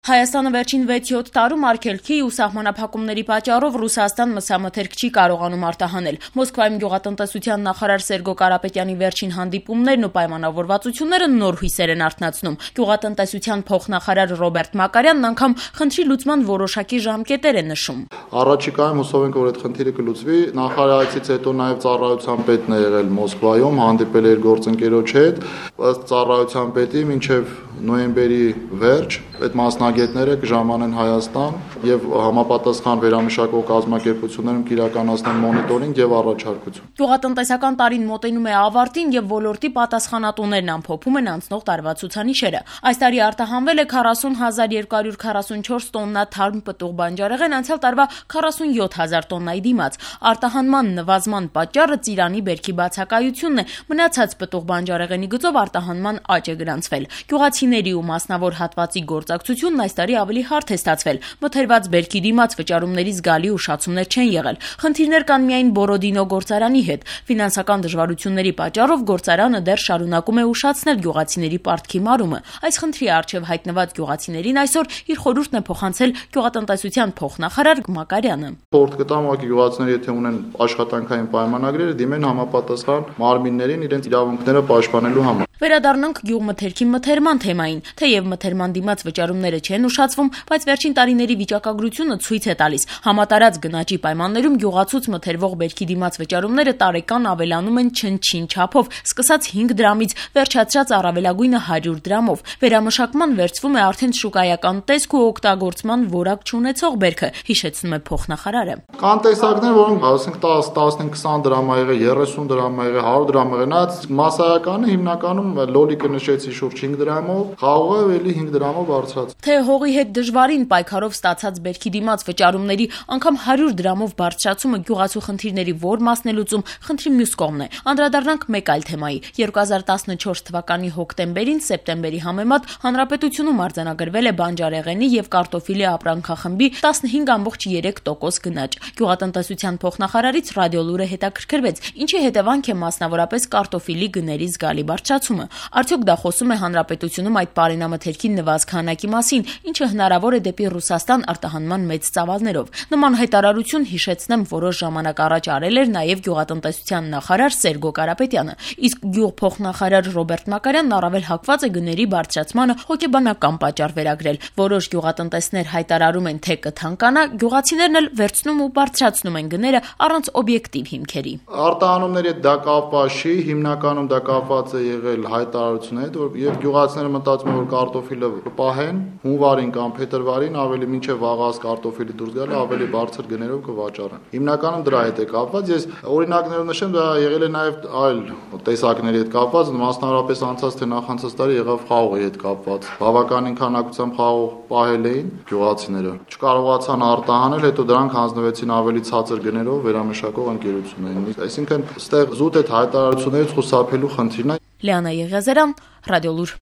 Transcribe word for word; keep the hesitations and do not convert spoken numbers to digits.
Հայաստանը վերջին վեց-յոթ տարում արգելքի ու սահմանափակումների պատճառով Ռուսաստան մսամթերք չի կարողանում արտահանել։ Մոսկվայում գյուղատնտեսության նախարար Սերգո Կարապետյանի վերջին հանդիպումներն ու պայմանավորվածությունները նոր հույսեր են արթնացնում։ Գյուղատնտեսության փոխնախարար Ռոբերտ Մակարյանն անգամ խնդրի լուծման որոշակի ժամկետեր է նշում։ Առաջիկայում հուսով ենք, որ այդ խնդիրը կլուծվի։ Նախարարացից հետո նաև ծառայության պետն է եղել Մոսկվայում, հանդիպել է իր գործընկերոջ հետ, ըստ ծառայության պետի մինչև նոյեմբերի վերջ այդ մասնագետները կժամանեն Հայաստան եւ համապատասխան վերամշակող կազմակերպություններում կիրականացնեն մոնիտորինգ եւ առաջարկություն։ Գյուղատնտեսական տարին մոտենում է ավարտին եւ ոլորտի պատասխանատուներն ամփոփում են անցնող տարվա ցուցանիշերը։ Այս տարի արտահանվել է քառասուն հազար երկու հարյուր քառասունչորս տոննա թարմ պտուղ բանջարեղեն, անցյալ տարվա քառասունյոթ հազար տոննայի դիմաց։ Արտահանման նվազման պատճառը ծիրանի բերքի բացակայությունն է, մնացած պտուղ բանջարեղենի գծով արտահանման աճ է գրանցվել։ Գյուղացիների ու մասնավոր հատվածի գործակցությունն այս տարի ավելի հարթ է ստացվել։ Մթերված բերքի դիմաց վճարումների զգալի ուշացումներ չեն եղել։ Խնդիրներ կան միայն Բորոդինո գործարանի հետ։ Ֆինանսական դժվարությունների պատճառով գործարանը դեռ շարունակում է ուշացնել գյուղացիների պարտքի մարումը։ Այս խնդրի առջև հայտնված գյուղացիներին այսօր իր խորհուրդն է փոխանցել գյուղատնտեսության փոխնախարար Մակարյանը։ Խորհուրդ կտամ ուղղակի գյուղացիները, եթե ունեն աշխատանքային պայմանագրեր, դիմեն համապատասխան մարմիններին իրենց իրավունքները պաշտպանելու համար։ Վերադառնանք գյուղմթերքի մթերման թեմային։ Թեև մթերման դիմաց վճարումները չեն ուշացվում, բայց վերջին տարիների վիճակագրությունը ցույց է տալիս։ Համատարած գնաճի պայմաններում գյուղացուց մթերվող բերքի դիմաց վճարումները տարեկան ավելանում են չնչին չափով, սկսած հինգ դրամից, վերջացրած առավելագույնը հարյուր դրամով։ Վերամշակման վերցվում է արդեն շուկայական տեսք ու օգտագործման որակ չունեցող բերքը, հիշեցնում է փոխնախարարը։ Կան տեսակներ, որոնք ասենք դես, տասնհինգ, քսան դրամ ա եղել, երեսուն դրամ ա եղել, հարյուր դրամ ա եղել, նայած մասսայականը հիմնականում լոլիկը նշեցի շուրջ հինգ դրամով, խաղողը էլի հինգ դրամով բարձրացավ։ Թե հողի հետ դժվարին պայքարով ստացած բերքի դիմաց վճարումների անգամ հարյուր դրամով բարձրացումը գյուղացու խնդիրների որ մասն է լուծում, խնդրի մյուս կողմն է։ Անդրադառնանք մեկ այլ թեմայի։ երկու հազար տասնչորս թվականի հոկտեմբերին սեպտեմբերի համեմատ հանրապետությունում արձանագրվել է բանջարեղենի եւ կարտոֆիլի ապրանքախմբի տասնհինգ ամբողջ երեք տոկոս գնաճ։ Գյուղատնտեսության փոխնախարարից Ռադիոլուրը հետաքրքրվեց, ինչի հետևանք է մասնավորապես կարտոֆիլի գների զգալի բարձրացումը։ Արդյոք դա խոսում է հանրապետությունում այդ պարենամթերքի նվազ քանակի մասին, ինչը հնարավոր է դեպի Ռուսաստան արտահանման մեծ ծավալներով։ Նման հայտարարություն, հիշեցնեմ, որոշ ժամանակ առաջ արել էր նաև գյուղատնտեսության նախարար Սերգո Կարապետյանը։ Իսկ գյուղփոխնախարար Ռոբերտ Մակարյանն առավել հակված է գների բարձրացմանը հոգեբանական պատճառ վերագրել։ Որոշ գյուղատնտեսներ հայտարարում են, թե կթանկանա, գյուղացիներն էլ վերցնում ու բարձրացնում են գները առանց օբյեկտիվ հիմքերի։ Արտահանումների հետ դա կապված չի, հիմնականում դա կապված է եղել հայտարարությունների հետ, որ եւ գյուղացիները մտածում են, որ կարտոֆիլը կպահեն հունվարին կամ փետրվարին, ավելի մինչև վաղաց կարտոֆիլի դուրս գալը ավելի բարձր գներով կվաճառեն։ Հիմնականում դրա հետ է կապված։ Ես օրինակներով նշեմ, դա եղել է նաեւ այլ տեսակների հետ կապված, մասնավորապես անցած թե նախանցած տարի եղավ խաղողի հետ կապված։ Բավականին քանակությամբ խաղող պահել էին գյուղացիները։ Չկարողացան արտահանել, հետո դրանք հանձնվեցին ավելի ցածր գներով վերամշակող ընկերություններին։ Այսինքն, այստեղ զուտ այդ հայտարարություններից խուսափելու խնդիրն է։ Լիանա Եղիազարյան, Ռադիոլուր։